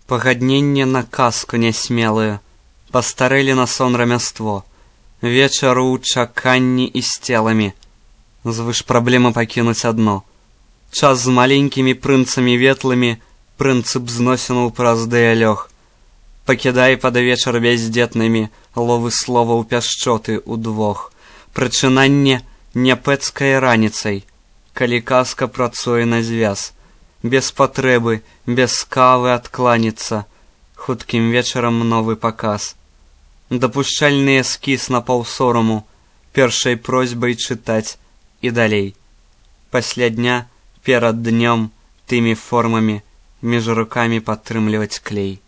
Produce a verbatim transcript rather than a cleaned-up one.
Пагадненне на казку нясмелую, пастарэлі на сон рамяство, вечару ў чаканні і з целамі. Звыш праблемы пакінуць адно. Час з маленькімі прынцамі ветлымі прынцып зносінуў праз дыялёг. Пакідай пад вечар бяздзетнымі ловы словаў пяшчоты ўдвох. Прачынанне няпэцкай раніцай, калі казка працуе на звяз. Без патрэбы, без кавы адкланяцца, хуткім вечарам новы паказ. Дапушчальны эскіз на паўсораму, першай просьбай чытаць і далей. Пасля дня, перад днём, тымі формамі, між рукамі падтрымліваць клей.